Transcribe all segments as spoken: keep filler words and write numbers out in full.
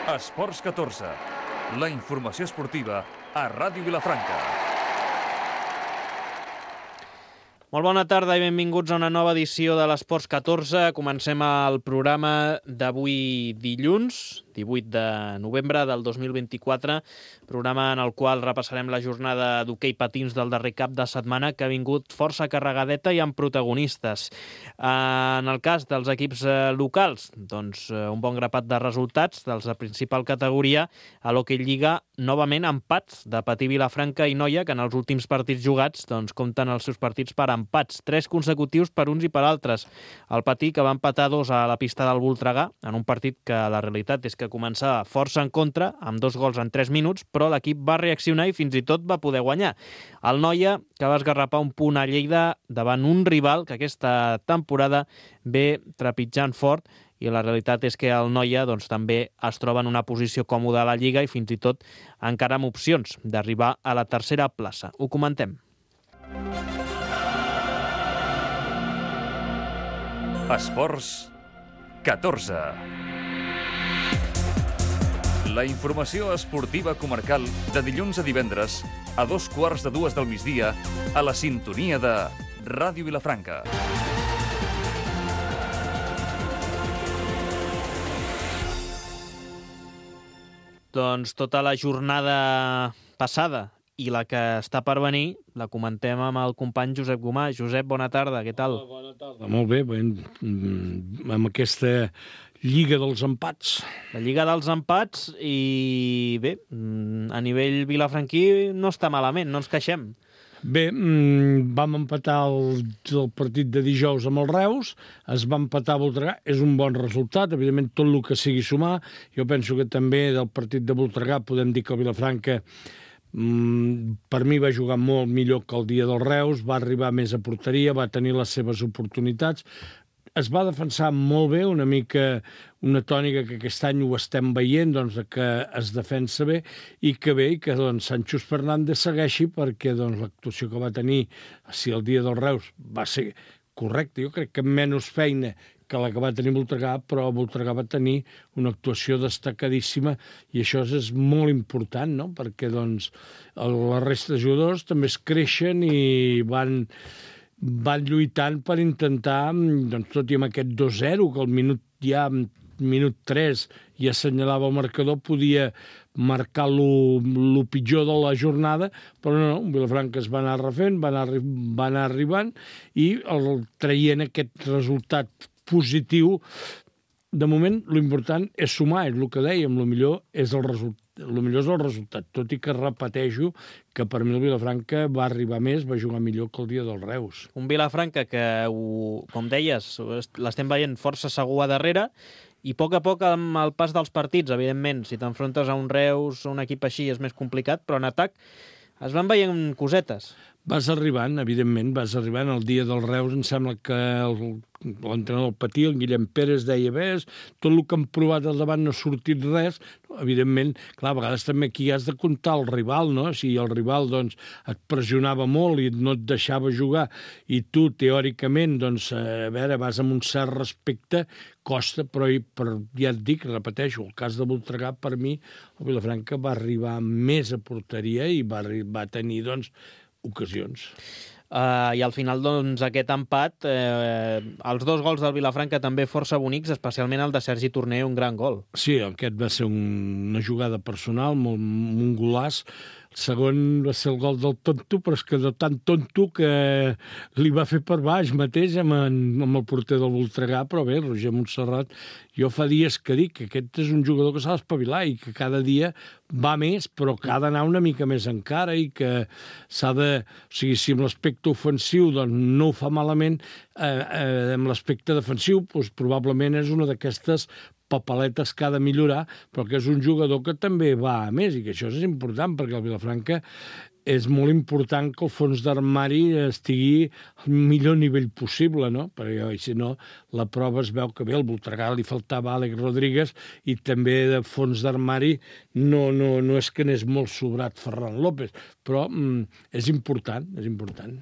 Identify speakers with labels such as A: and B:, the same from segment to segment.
A: Esports catorze, la informació esportiva a Ràdio Vilafranca.
B: Molt bona tarda i benvinguts a una nova edició de l'Esports catorze. Comencem el programa d'avui dilluns, divuit de novembre del dos mil vint-i-quatre, programa en el qual repassarem la jornada d'hoquei patins del darrer cap de setmana, que ha vingut força carregadeta i amb protagonistes. En el cas dels equips locals, doncs un bon grapat de resultats dels de principal categoria. A l'Hoquei Lliga, novament empats de Patí, Vilafranca i Noia, que en els últims partits jugats doncs, compten els seus partits per empats, tres consecutius per uns i per altres. El Patí, que va empatar dos a la pista del Voltregà, en un partit que la realitat és que començava força en contra, amb dos gols en tres minuts, però l'equip va reaccionar i fins i tot va poder guanyar. El Noia, que va esgarrapar un punt a Lleida davant un rival que aquesta temporada ve trepitjant fort, i la realitat és que el Noia doncs, també es troba en una posició còmoda a la Lliga i fins i tot encara amb opcions d'arribar a la tercera plaça. Ho comentem.
A: Esports catorze. La informació esportiva comarcal de dilluns a divendres a dos quarts de dues del migdia a la sintonia de Ràdio Vilafranca.
B: Doncs tota la jornada passada i la que està per venir la comentem amb el company Josep Gomà. Josep, bona tarda, què tal?
C: Bona tarda, molt bé, ben, amb aquesta Lliga dels empats.
B: La Lliga dels empats i bé, a nivell vilafranquí no està malament, no ens queixem.
C: Bé, vam empatar el, el partit de dijous amb el Reus, es va empatar a Voltregà, és un bon resultat, evidentment tot el que sigui sumar. Jo penso que també del partit de Voltregà podem dir que el Vilafranca per mi va jugar molt millor que el dia del Reus, va arribar més a porteria, va tenir les seves oportunitats, es va defensar molt bé, una mica una tònica que aquest any ho estem veient, doncs, que es defensa bé i que bé, i que doncs, Sanchos Fernández segueixi, perquè doncs, l'actuació que va tenir, si el dia del Reus va ser correcta, jo crec que menys feina que la que va tenir Voltregà, però Voltregà va tenir una actuació destacadíssima i això és molt important, no? Perquè doncs, la resta de jugadors també es creixen i van... van lluitant per intentar, doncs, tot i amb aquest dos zero, que al minut ja, minut tres, ja assenyalava el marcador, podia marcar lo, lo pitjor de la jornada, però no, no, Vilafranca es va anar refent, va anar, va anar arribant i el, traient aquest resultat positiu. De moment, l'important és sumar, és el que dèiem, el millor és el resultat. El millor és el resultat, tot i que repeteixo que per mi el Vilafranca va arribar més, va jugar millor que el dia del Reus.
B: Un Vilafranca que, com deies, l'estem veient força segur a darrere i a poc a poc amb el pas dels partits, evidentment, si t'enfrontes a un Reus o un equip així és més complicat, però en atac es van veient cosetes.
C: Vas arribant, evidentment, vas arribant. El dia del Reus em sembla que l'entrenador Patí, el Guillem Pérez, deia ves, tot el que han provat al davant no ha sortit res. Evidentment, clar, a vegades també aquí has de comptar el rival, no? Si el rival doncs, et pressionava molt i no et deixava jugar i tu, teòricament, doncs, a veure, vas amb un cert respecte, costa, però per, ja et dic, repeteixo, el cas de Voltregà, per mi, el Vilafranca va arribar més a porteria i va, va tenir, doncs, ocasions.
B: Uh, I al final, doncs, aquest empat, eh, els dos gols del Vilafranca també força bonics, especialment el de Sergi Torner, un gran gol.
C: Sí, aquest va ser un, una jugada personal, molt, un golàs. El segon va ser el gol del tonto, però és que de tan tonto que li va fer per baix mateix amb, en, amb el porter del Voltregà, però bé, Roger Montserrat, jo fa dies que dic que aquest és un jugador que s'ha d'espavilar i que cada dia va més, però que ha d'anar una mica més encara i que s'ha de... O sigui, si amb l'aspecte ofensiu doncs, no ho fa malament, eh, eh, amb l'aspecte defensiu doncs, probablement és una d'aquestes papaletes que ha de millorar, però que és un jugador que també va a més i que això és important perquè el Vilafranca és molt important que el fons d'armari estigui al millor nivell possible, no? Perquè si no, la prova es veu que bé, al Voltregà li faltava Àlex Rodríguez i també de fons d'armari no, no, no és que n'és molt sobrat Ferran López, però mm, és important, és important.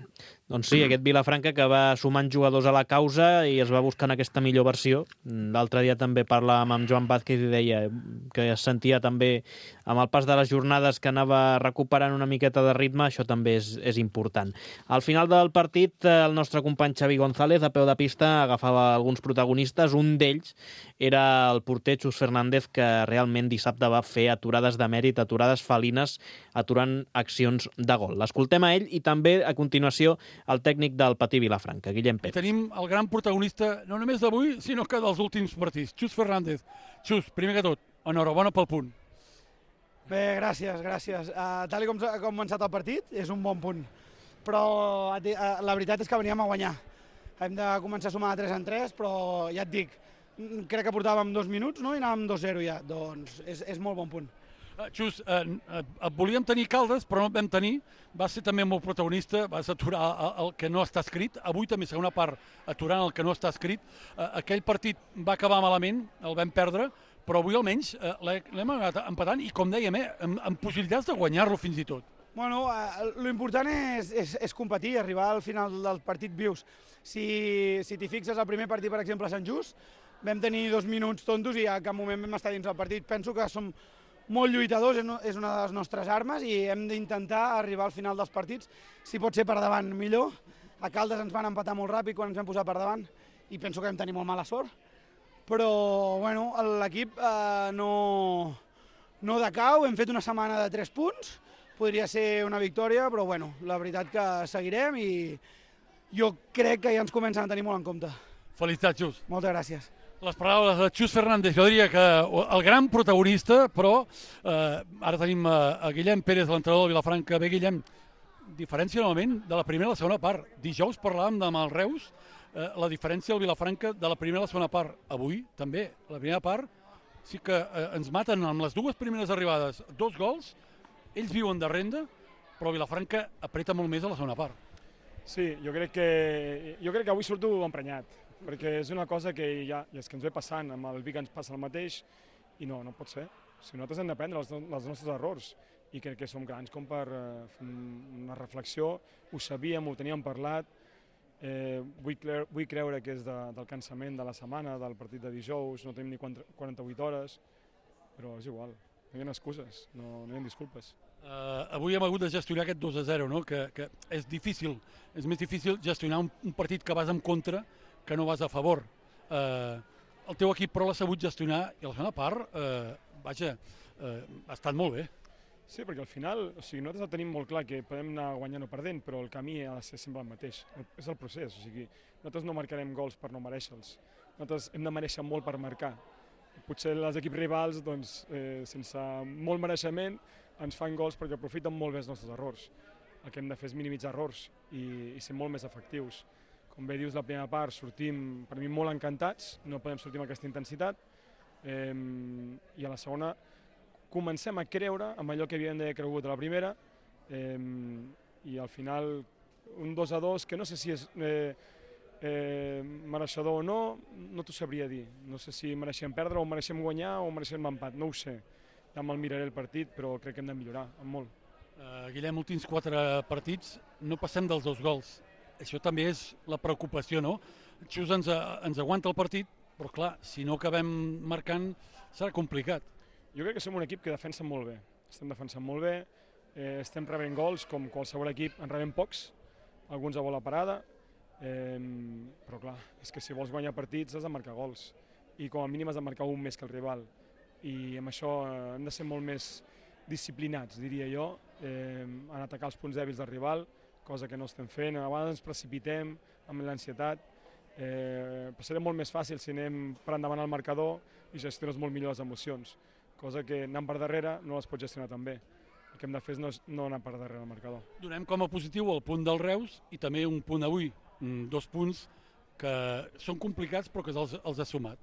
B: Doncs sí, aquest Vilafranca que va sumant jugadors a la causa i es va buscant aquesta millor versió. L'altre dia també parlàvem amb Joan Vázquez i deia que es sentia també amb el pas de les jornades que anava recuperant una miqueta de ritme, això també és, és important. Al final del partit, el nostre company Xavi González, a peu de pista, agafava alguns protagonistes. Un d'ells era el porter Xus Fernández, que realment dissabte va fer aturades de mèrit, aturades felines, aturant accions de gol. L'escoltem a ell i també, a continuació, el tècnic del Patí Vilafranca, Guillem Pérez.
D: Tenim el gran protagonista, no només d'avui, sinó que dels últims partits, Xus Fernández. Xus, primer que tot, enhorabona pel punt.
E: Bé, gràcies, gràcies. Uh, tal com ha començat el partit, és un bon punt. Però uh, la veritat és que veníem a guanyar. Hem de començar a sumar de tres en tres, però ja et dic, crec que portàvem dos minuts, no? I anàvem dos zero ja. Doncs és, és molt bon punt.
D: Xus, eh, et volíem tenir Caldes, però no et vam tenir. Vas ser també molt protagonista, vas aturar el que no està escrit. Avui també, segona part, aturant el que no està escrit. Eh, aquell partit va acabar malament, el vam perdre, però avui almenys eh, l'hem anat empatant i, com dèiem, eh, amb, amb possibilitats de guanyar-lo fins i tot.
E: Bueno, eh, l'important és, és, és competir, arribar al final del partit vius. Si, si t'hi fixes, el primer partit, per exemple, a Sant Just, vam tenir dos minuts tontos i a cap moment vam estar dins del partit. Penso que som molt lluitadors, és una de les nostres armes i hem d'intentar arribar al final dels partits, si pot ser per davant millor. A Caldes ens van empatar molt ràpid quan ens vam posar per davant i penso que vam tenir molt mala sort, però bueno, l'equip eh, no, no decau, hem fet una setmana de tres punts, podria ser una victòria, però bueno, la veritat que seguirem i jo crec que ja ens comencen a tenir molt en compte.
D: Felicitats, Xus.
E: Moltes gràcies.
D: Les paraules de Xus Fernández, jo diria que el gran protagonista, però eh, ara tenim a, a Guillem Pérez, l'entrenador de Vilafranca. Bé, Guillem, diferència novament de la primera a la segona part. Dijous parlàvem amb el Reus, eh, la diferència del Vilafranca de la primera a la segona part. Avui, també, la primera part, sí que eh, ens maten amb les dues primeres arribades dos gols, ells viuen de renda, però Vilafranca apreta molt més a la segona part.
F: Sí, jo crec que, jo crec que avui surto emprenyat, perquè és una cosa que ja és que ens ve passant, amb el Vic ens passa el mateix, i no, no pot ser. Si nosaltres hem d'aprendre els, els nostres errors, i crec que som grans com per eh, fer una reflexió, ho sabíem, ho teníem parlat, eh, vull, creure, vull creure que és de, del cansament de la setmana, del partit de dijous, no tenim ni quaranta-vuit hores, però és igual, no hi ha excuses, no, no hi ha disculpes.
D: Uh, avui hem hagut de gestionar aquest dos a zero, no? que, que és difícil, és més difícil gestionar un, un partit que vas en contra que no vas a favor. Uh, el teu equip però l'ha sabut gestionar i a la segona part, uh, vaja, uh, ha estat molt bé.
F: Sí, perquè al final, o sigui, nosaltres tenim molt clar que podem anar guanyant o perdent, però el camí ha de ser sempre el mateix, és el procés, o sigui, nosaltres no marcarem gols per no mereixer-los, nosaltres hem de mereixer molt per marcar. Potser els equips rivals, doncs, eh, sense molt mereixement, ens fan gols perquè aprofiten molt bé els nostres errors. El que hem de fer és minimitzar errors i, i ser molt més efectius. Com bé dius, la primera part sortim, per mi, molt encantats, no podem sortir amb aquesta intensitat, eh, i a la segona comencem a creure amb allò que havíem d'haver cregut a la primera, eh, i al final un dos a dos, que no sé si és eh, eh, mereixedor o no, no t'ho sabria dir. No sé si mereixem perdre o mereixem guanyar o mereixem empat, no ho sé. Ja me'l miraré el partit, però crec que hem de millorar, molt.
D: Uh, Guillem, últims quatre partits, no passem dels dos gols. Això també és la preocupació, no? Xus ens, ens aguanta el partit, però clar, si no acabem marcant serà complicat.
F: Jo crec que som un equip que defensa molt bé. Estem defensant molt bé, eh, estem rebent gols, com qualsevol equip en rebem pocs, alguns a bola parada, eh, però clar, és que si vols guanyar partits has de marcar gols, i com a mínim has de marcar un més que el rival. I amb això hem de ser molt més disciplinats, diria jo, eh, en atacar els punts dèbils del rival, cosa que no estem fent. A vegades ens precipitem amb l'ansietat, eh, però serà molt més fàcil si anem per endavant al marcador i gestiones molt millor les emocions, cosa que anant per darrere no les pots gestionar tan bé. El que hem de fer és no, no anar per darrere al marcador.
D: Donem com a positiu el punt del Reus i també un punt avui, dos punts que són complicats però que els, els ha sumat.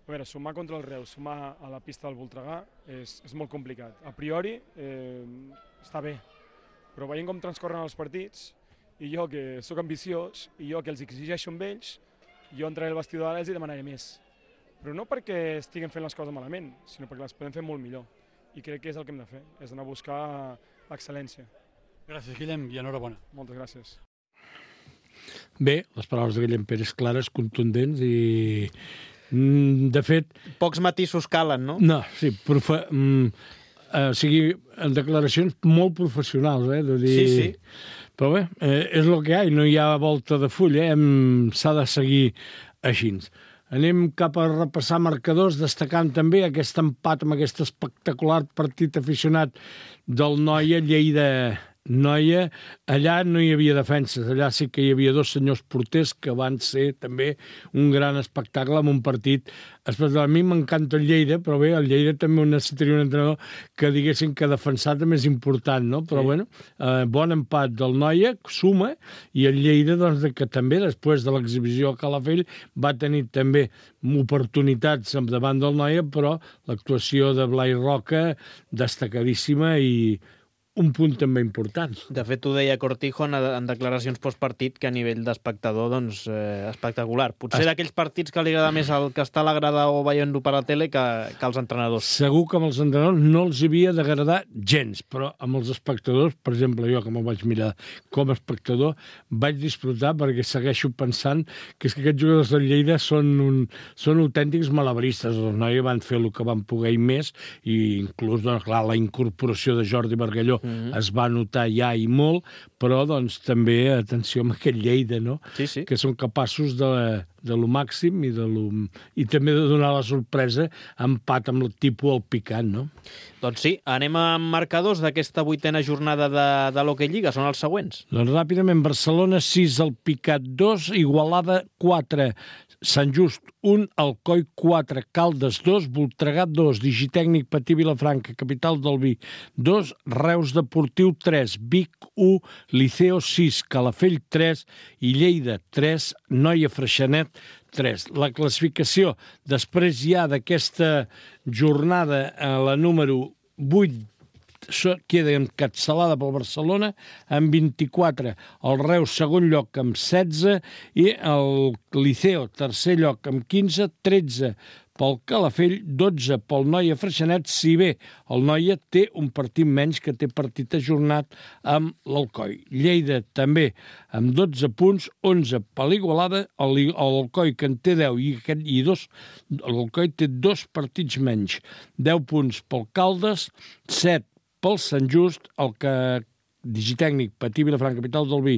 F: A veure, sumar contra el Reus, sumar a la pista del Voltregà és, és molt complicat. A priori eh, està bé, però veient com transcorren els partits, i jo que sóc ambiciós, i jo que els exigeixo amb ells, jo entraré al vestidor d'ara i els demanaré més. Però no perquè estiguem fent les coses malament, sinó perquè les podem fer molt millor. I crec que és el que hem de fer, és anar a buscar l'excel·lència.
D: Gràcies, Guillem, i enhorabona.
F: Moltes gràcies.
C: Bé, les paraules de Guillem Pérez clares, contundents i, de fet...
B: Pocs matisos calen, no?
C: No, sí, profe... Mm, eh, o sigui, en declaracions molt professionals, eh? De dir...
B: Sí, sí.
C: Però bé, eh, és el que hi ha, no hi ha volta de full, eh? Hem... S'ha de seguir així. Anem cap a repassar marcadors, destacant també aquest empat amb aquest espectacular partit aficionat del Noia, Lleida-Noia. Allà no hi havia defenses, allà sí que hi havia dos senyors porters que van ser també un gran espectacle amb un partit especial. A mi m'encanta el Lleida, però bé, el Lleida també necessitaria un entrenador que diguessin que defensar també és important, no? Però sí. Bueno, eh, bon empat del Noia, suma, i el Lleida, doncs, que també, després de l'exhibició a Calafell, va tenir també oportunitats davant del Noia, però l'actuació de Blai Roca destacadíssima i un punt també important.
B: De fet, ho deia Cortijo en, en declaracions postpartit, que a nivell d'espectador, doncs, eh, espectacular. Potser es... d'aquells partits que li agrada més el que està a la grada o veient-ho per la tele que, que els entrenadors.
C: Segur que amb els entrenadors no els havia d'agradar gens, però amb els espectadors, per exemple, jo que me'l vaig mirar com a espectador, vaig disfrutar perquè segueixo pensant que és que aquests jugadors del Lleida són, un, són autèntics malabaristes. Els Noia van fer el que van poder i més, i inclús, doncs, clar, la incorporació de Jordi Bargalló Mm-hmm. es va notar ja i molt, però doncs també atenció amb aquest Lleida, no?
B: Sí, sí.
C: Que són capaços de, de lo màxim i, de lo, i també de donar la sorpresa empat amb el tipus al picant, no?
B: Doncs sí, anem amb marcadors d'aquesta vuitena jornada de, de l'Hockey Lliga, són els següents.
C: Doncs ràpidament, Barcelona sis, el Picat dos, Igualada quatre, Sant Just un, Alcoi quatre, Caldes dos, Voltregà dos, Digitècnic Patí Vilafranca, Capital del Vi dos, Reus Deportiu tres, Vic u, Liceo sis, Calafell tres i Lleida tres, Noia Freixenet tres. La classificació després ja d'aquesta jornada a la número vuit queda encapçalada pel Barcelona amb vint-i-quatre, el Reus segon lloc amb setze i el Liceo tercer lloc amb quinze, tretze pel Calafell, dotze pel Noia Freixenet, si bé el Noia té un partit menys que té partit ajornat amb l'Alcoi. Lleida també amb dotze punts, onze per l'Igualada, l'Alcoi que en té deu i, aquest, i dos, l'Alcoi té dos partits menys, deu punts pel Caldes, set pel Sant Just, el que Digitècnic Patí Vilafranca, Capital del Vi,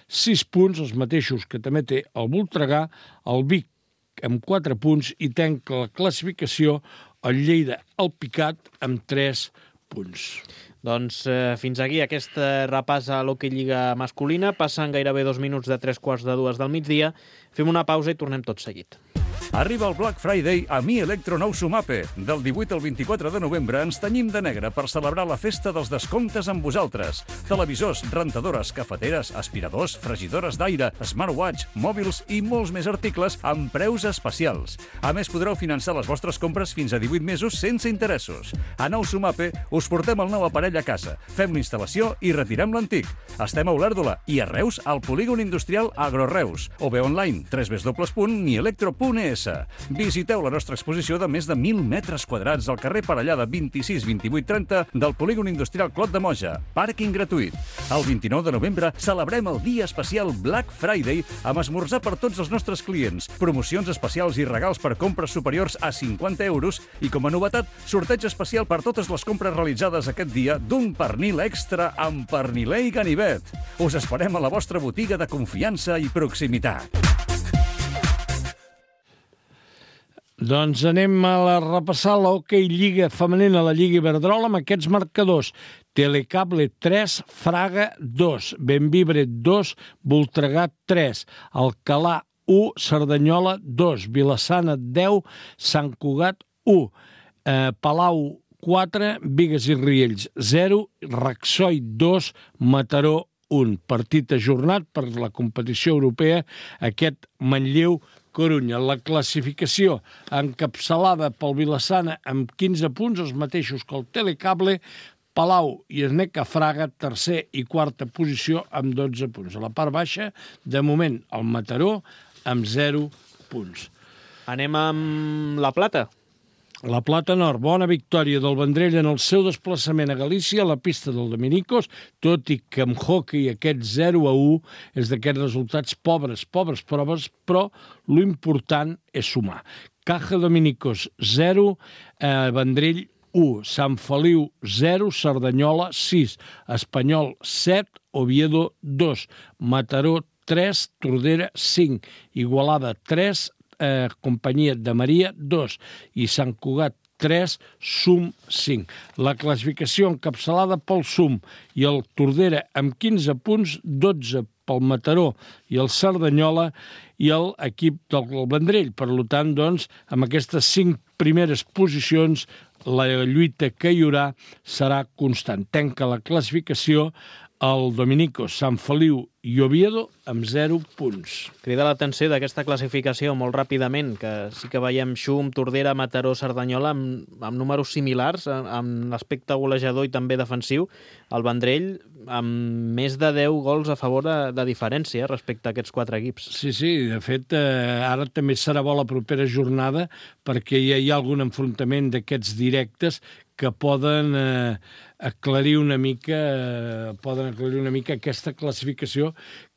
C: sis punts, els mateixos que també té el Voltregà, el Vic amb quatre punts i tanca la classificació el Lleida al Picat amb tres punts.
B: Doncs eh, fins aquí aquest repàs a l'Hockey Lliga masculina. Passen gairebé dos minuts de tres quarts de dues del migdia. Fem una pausa i tornem tot seguit.
A: Arriba el Black Friday a Mi Electro Nou Sumape. Del divuit al vint-i-quatre de novembre ens tenyim de negre per celebrar la festa dels descomptes amb vosaltres. Televisors, rentadores, cafeteres, aspiradors, fregidores d'aire, smartwatch, mòbils i molts més articles amb preus especials. A més, podreu finançar les vostres compres fins a divuit mesos sense interessos. A Nou Sumape us portem el nou aparell a casa, fem l'instal·lació i retirem l'antic. Estem a Olèrdola i a Reus al polígon industrial Agroreus o bé online w w w punt mi electro punt e s. Visiteu la nostra exposició de més de mil metres quadrats al carrer Parellada vint-i-sis vint-i-vuit trenta del polígon industrial Clot de Moja. Pàrquing gratuït. El vint-i-nou de novembre celebrem el dia especial Black Friday amb esmorzar per tots els nostres clients, promocions especials i regals per compres superiors a cinquanta euros i, com a novetat, sorteig especial per totes les compres realitzades aquest dia d'un pernil extra amb perniler i ganivet. Us esperem a la vostra botiga de confiança i proximitat.
C: Doncs anem a la repassar l'Hockey Lliga femenina, la Lliga Iberdrola, amb aquests marcadors. Telecable tres, Fraga dos, Benvibre dos, Voltregà tres, Alcalà u, Cerdanyola dos, Vilassana deu, Sant Cugat u, eh, Palau quatre, Bigues i Riells zero, Raxoi dos, Mataró un. Partit ajornat per la competició europea, aquest Manlleu Corunya. La classificació encapçalada pel Vilassana amb quinze punts, els mateixos que el Telecable, Palau i Esneca Fraga, tercer i quarta posició amb dotze punts. A la part baixa, de moment, el Mataró amb zero punts.
B: Anem amb la plata.
C: La Plata Nord, bona victòria del Vendrell en el seu desplaçament a Galícia, a la pista del Dominicos, tot i que amb hockey aquest zero a u és d'aquests resultats pobres, pobres proves, però l'important és sumar. Caja Dominicos zero, eh, Vendrell u, Sant Feliu zero, Cerdanyola sis, Espanyol set, Oviedo dos, Mataró tres, Tordera cinc, Igualada tres, Eh, Companyia de Maria dos i Sant Cugat tres, Sum cinc. La classificació encapçalada pel Sum i el Tordera amb quinze punts, dotze pel Mataró i el Cerdanyola i l'equip del Vendrell. Per tant, doncs, amb aquestes cinc primeres posicions, la lluita que hi haurà serà constant. Tanca la classificació el Dominicos, Sant Feliu i Oviedo amb zero punts.
B: Crida l'atenció d'aquesta classificació molt ràpidament, que sí que veiem Xum, Tordera, Mataró, Cerdanyola amb, amb números similars, amb l'aspecte golejador i també defensiu. El Vendrell amb més de deu gols a favor de, de diferència respecte a aquests quatre equips.
C: Sí, sí, de fet, eh, ara també serà bo la propera jornada perquè ja hi ha algun enfrontament d'aquests directes que poden eh, aclarir una mica eh, poden aclarir una mica aquesta classificació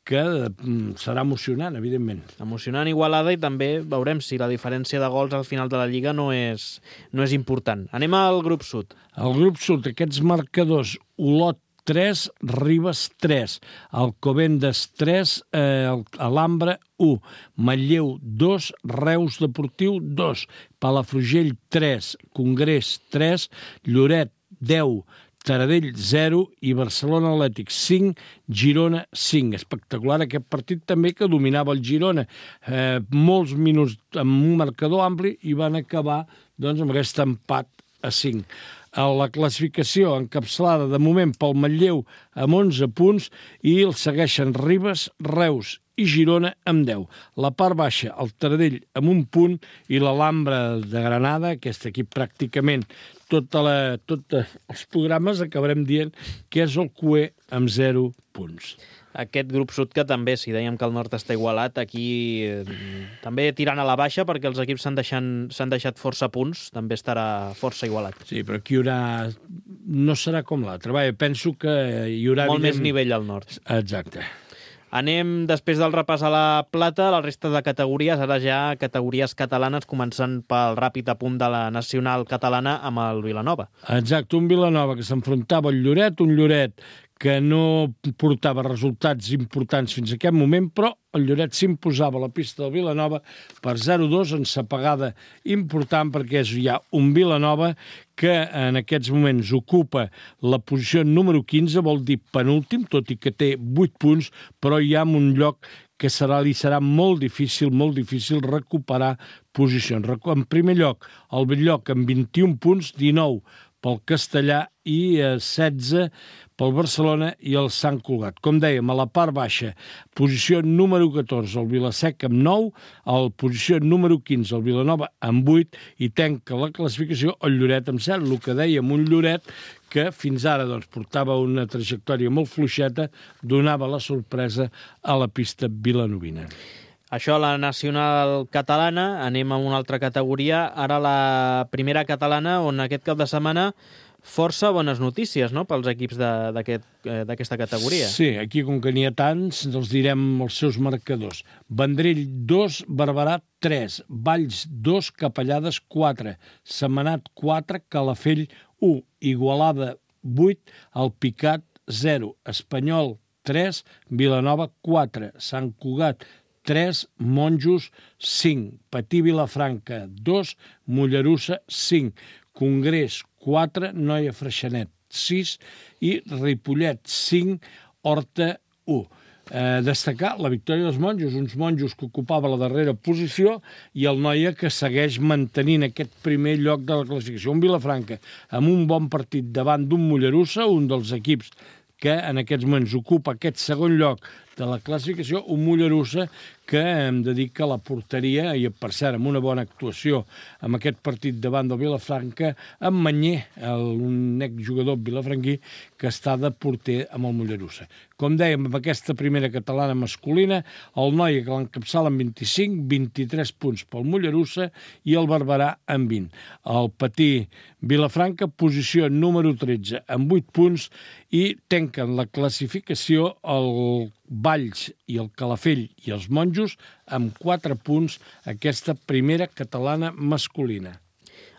C: que eh, serà emocionant, evidentment.
B: Emocionant, igualada, i també veurem si la diferència de gols al final de la Lliga no és, no és important. Anem al grup sud.
C: El grup sud, aquests marcadors, Olot tres, Ribes tres, Alcobendas tres, eh, Alhambra u, Manlleu dos, Reus Deportiu dos, Palafrugell tres, Congrés tres, Lloret deu, Taradell zero i Barcelona Atlètic cinc, Girona cinc. Espectacular aquest partit també que dominava el Girona. Eh, molts minuts amb un marcador ampli i van acabar doncs, amb aquest empat a cinc. La classificació encapçalada de moment pel Manlleu amb onze punts i el segueixen Ribes, Reus i Girona amb deu. La part baixa, el Taradell amb un punt i l'Alhambra de Granada, aquest equip pràcticament tots tota els programes acabarem dient que és el cué amb zero punts.
B: Aquest grup sud que també, si dèiem que el nord està igualat, aquí eh, també tirant a la baixa perquè els equips s'han deixat, deixat força punts, també estarà força igualat.
C: Sí, però aquí hi haurà... no serà com l'altre. Vaja, penso que hi haurà...
B: Molt evident... més nivell al nord.
C: Exacte.
B: Anem, després del repàs a la plata, a la resta de categories, ara ja categories catalanes, començant pel ràpid apunt de la nacional catalana amb el Vilanova.
C: Exacte, un Vilanova que s'enfrontava al Lloret, un Lloret que no portava resultats importants fins a aquest moment, però el Lloret s'imposava a la pista del Vilanova per zero a dos, ensapegada important, perquè és ja un Vilanova que en aquests moments ocupa la posició número quinze, vol dir penúltim, tot i que té vuit punts, però hi ha un lloc que serà, li serà molt difícil, molt difícil recuperar posicions. En primer lloc, el Belllloc amb vint-i-un punts, dinou pel Castellà i setze pel Barcelona i el Sant Cugat. Com dèiem, a la part baixa, posició número catorze, el Vilasec amb nou, a la posició número quinze, el Vilanova amb vuit, i tanca la classificació el Lloret amb set, el que dèiem, un Lloret que fins ara doncs, portava una trajectòria molt fluixeta, donava la sorpresa a la pista vilanovina.
B: Això a la nacional catalana, anem a una altra categoria, ara la primera catalana, on aquest cap de setmana força bones notícies, no?, pels equips d'aquesta aquest, categoria.
C: Sí, aquí com que n'hi ha tants, els direm els seus marcadors. Vendrell dos, Barberà tres, Valls dos, Capellades quatre, Sentmenat quatre, Calafell u, Igualada vuit, Alpicat zero, Espanyol tres, Vilanova quatre, Sant Cugat tres, Monjos cinc, Patí Vilafranca dos, Mollerussa cinc, Congrés quatre, Noia Freixenet sis i Ripollet cinc, Horta u. Eh, destacar la victòria dels Monjos, uns Monjos que ocupava la darrera posició i el Noia que segueix mantenint aquest primer lloc de la classificació. Un Vilafranca amb un bon partit davant d'un Mollerussa, un dels equips que en aquests moments ocupa aquest segon lloc de la classificació, un Mollerussa que hem de dir que la porteria, i per cert, amb una bona actuació amb aquest partit davant del Vilafranca, en Manyer, un exjugador vilafranquí, que està de porter amb el Mollerussa. Com dèiem, amb aquesta primera catalana masculina, el Noia, que l'encapçala amb vint-i-cinc, vint-i-tres punts pel Mollerussa i el Barberà amb vint. El Patí Vilafranca, posició número tretze, amb vuit punts, i tanquen la classificació el Valls i el Calafell i els Monjos amb quatre punts, aquesta primera catalana masculina.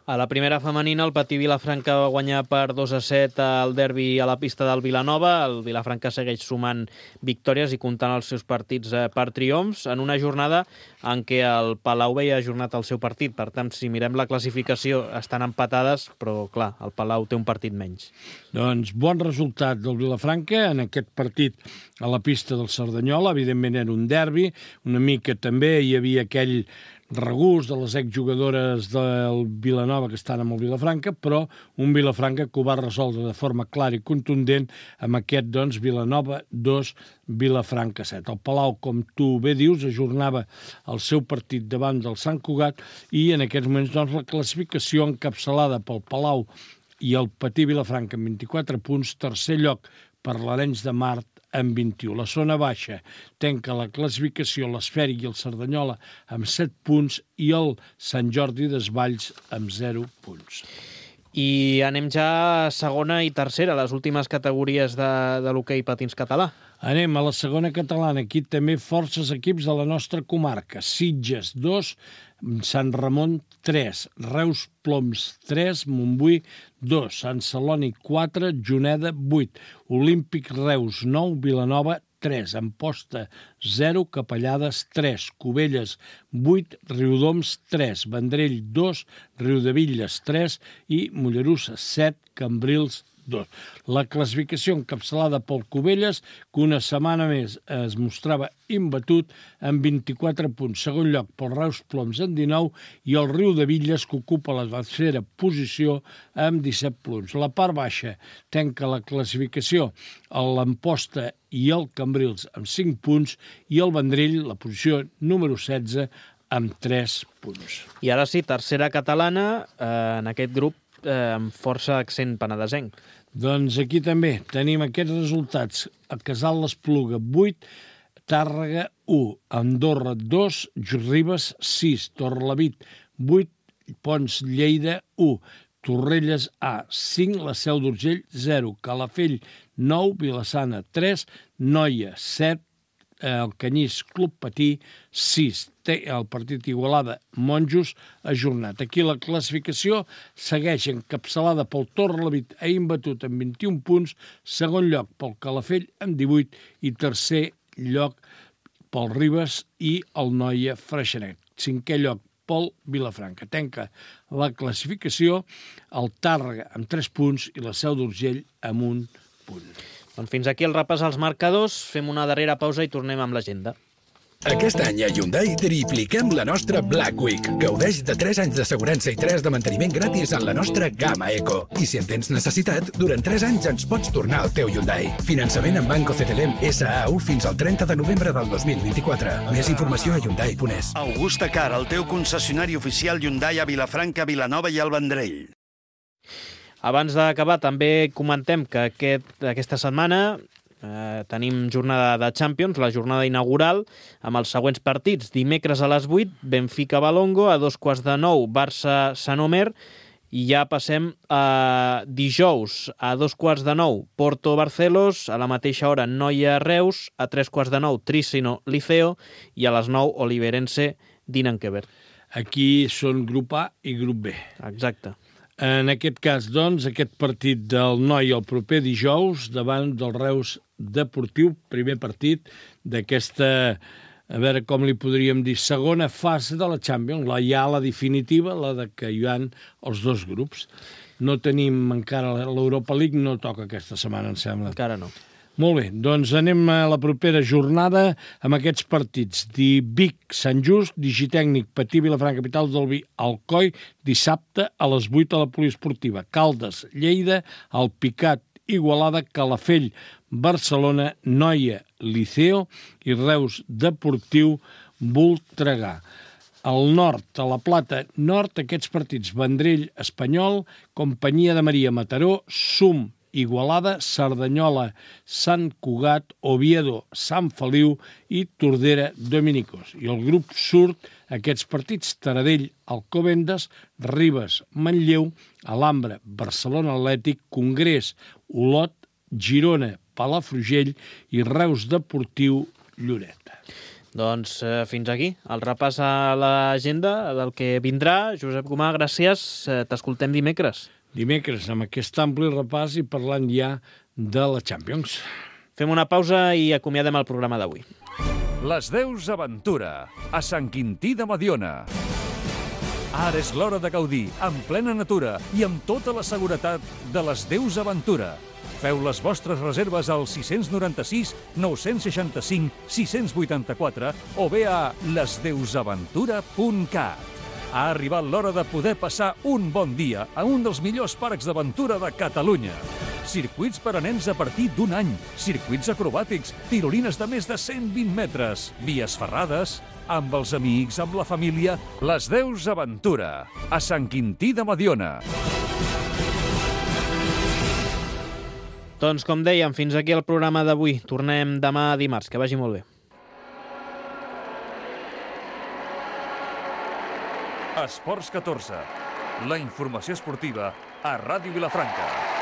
B: A la primera femenina, el Patí Vilafranca va guanyar per dos a set al derbi a la pista del Vilanova. El Vilafranca segueix sumant victòries i comptant els seus partits per triomfs en una jornada en què el Palau veia ajornat el seu partit. Per tant, si mirem la classificació, estan empatades, però, clar, el Palau té un partit menys.
C: Doncs bon resultat del Vilafranca en aquest partit a la pista del Cerdanyola. Evidentment era un derbi, una mica també hi havia aquell regust de les exjugadores del Vilanova que estan amb el Vilafranca, però un Vilafranca que ho va resoldre de forma clara i contundent amb aquest, doncs, Vilanova dos, Vilafranca set. El Palau, com tu bé dius, ajornava el seu partit davant del Sant Cugat i en aquests moments, doncs, la classificació encapçalada pel Palau i el Patí Vilafranca amb vint-i-quatre punts, tercer lloc per l'Arenys de Mar amb vint-i-u. La zona baixa tanca la classificació l'Esfèric i el Cerdanyola amb set punts i el Sant Jordi Desvalls amb zero punts.
B: I anem ja a segona i tercera, les últimes categories de, de l'hoquei patins català.
C: Anem a la segona catalana. Aquí també forces equips de la nostra comarca. Sitges, dos, Sant Ramon, tres, Reus Ploms, tres, Montbui, dos, Sant Celoni, quatre, Juneda, vuit, Olímpic Reus, nou, Vilanova, tres, Amposta, zero, Capellades, tres, Cubelles, vuit, Riudoms, tres, Vendrell, dos, Riudevilles, tres i Mollerussa, set, Cambrils, dos. La classificació encapçalada pel Cubelles, que una setmana més es mostrava imbatut amb vint-i-quatre punts. Segon lloc pel Reus Ploms amb dinou i el Riudevilles, que ocupa la tercera posició amb disset punts. La part baixa tanca la classificació l'Amposta i el Cambrils amb cinc punts i el Vendrell, la posició número setze, amb tres punts.
B: I ara sí, tercera catalana, eh, en aquest grup eh, amb força accent penedesenc.
C: Doncs aquí també tenim aquests resultats. A Casal l'Espluga, vuit, Tàrrega, u, Andorra, dos, Ribes, sis, Torrelavit, vuit, Pons, Lleida, u, Torrelles, A, cinc, la Seu d'Urgell, zero, Calafell, nou, Vilassana, tres, Noia, set, el Canyís Club Patí, sis, té el partit Igualada Monjos ajornat. Aquí la classificació segueix encapçalada pel Torrelavit a imbatut amb vint-i-un punts, segon lloc pel Calafell amb divuit i tercer lloc pel Ribes i el Noia Freixenet. Cinquè lloc pel Vilafranca. Tanca la classificació el Tàrrega amb tres punts i la Seu d'Urgell amb un punt.
B: Doncs fins aquí el repàs als marcadors, fem una darrera pausa i tornem amb l'agenda.
G: Aquest any a Hyundai tripliquem la nostra Black Week. Gaudeix de tres anys d'assegurança i tres de manteniment gratis en la nostra gamma Eco. I si en tens necessitat, durant tres anys ens pots tornar al teu Hyundai. Finançament en Banco C T L M S A U fins al trenta de novembre del dos mil vint-i-quatre. Més informació a hyundai punt es.
H: Augusta Car, el teu concessionari oficial Hyundai a Vilafranca, Vilanova i el Vendrell.
B: Abans d'acabar, també comentem que aquest, aquesta setmana eh, tenim jornada de Champions, la jornada inaugural, amb els següents partits. Dimecres a les vuit, Benfica-Balongo, a dos quarts de nou, Barça-Sant Omer, i ja passem a dijous, a dos quarts de nou, Porto-Barcelos, a la mateixa hora, Noia-Reus, a tres quarts de nou, Tricino-Liceo, i a les nou, Oliverense-Dinenkeber.
C: Aquí són grup A i grup B.
B: Exacte.
C: En aquest cas, doncs, aquest partit del Noi el proper dijous davant del Reus Deportiu, primer partit d'aquesta, a veure com li podríem dir, segona fase de la Champions, la ja la definitiva, la de que hi ha els dos grups. No tenim encara l'Europa League, no toca aquesta setmana, em sembla.
B: Encara no.
C: Molt bé, doncs anem a la propera jornada amb aquests partits. Vic, Sant Just, Digitècnic, Patí, Vilafranca, Capital del Vi, Alcoi, dissabte a les vuit a la Poliesportiva. Caldes, Lleida, Alpicat, Igualada, Calafell, Barcelona, Noia, Liceo i Reus Deportiu, Voltregà. Al nord, a la Plata Nord, aquests partits: Vendrell, Espanyol, Companyia de Maria, Mataró, Sum, Igualada, Cerdanyola, Sant Cugat, Oviedo, Sant Feliu i Tordera, Dominicos. I el grup surt aquests partits: Taradell, Alcobendas, Ribes, Manlleu, Alhambra, Barcelona Atlètic, Congrés, Olot, Girona, Palafrugell i Reus Deportiu, Lloret.
B: Doncs eh, fins aquí el repàs a l'agenda del que vindrà. Josep Gomà, gràcies. Eh, T'escoltem dimecres.
C: Dimecres, amb aquest ampli repàs i parlant ja de la Champions.
B: Fem una pausa i acomiadem el programa d'avui.
A: Les Deus Aventura, a Sant Quintí de Mediona. Ara és l'hora de gaudir, en plena natura i amb tota la seguretat de les Deus Aventura. Feu les vostres reserves al sis nou sis, nou sis cinc, sis vuit quatre o bé a les deus aventura punt cat. Ha arribat l'hora de poder passar un bon dia a un dels millors parcs d'aventura de Catalunya. Circuits per a nens a partir d'un any, circuits acrobàtics, tirolines de més de cent vint metres, vies ferrades, amb els amics, amb la família. Les Deus Aventura, a Sant Quintí de Mediona.
B: Doncs, com dèiem, fins aquí el programa d'avui. Tornem demà dimarts. Que vagi molt bé.
A: Esports catorze. La informació esportiva a Ràdio Vilafranca.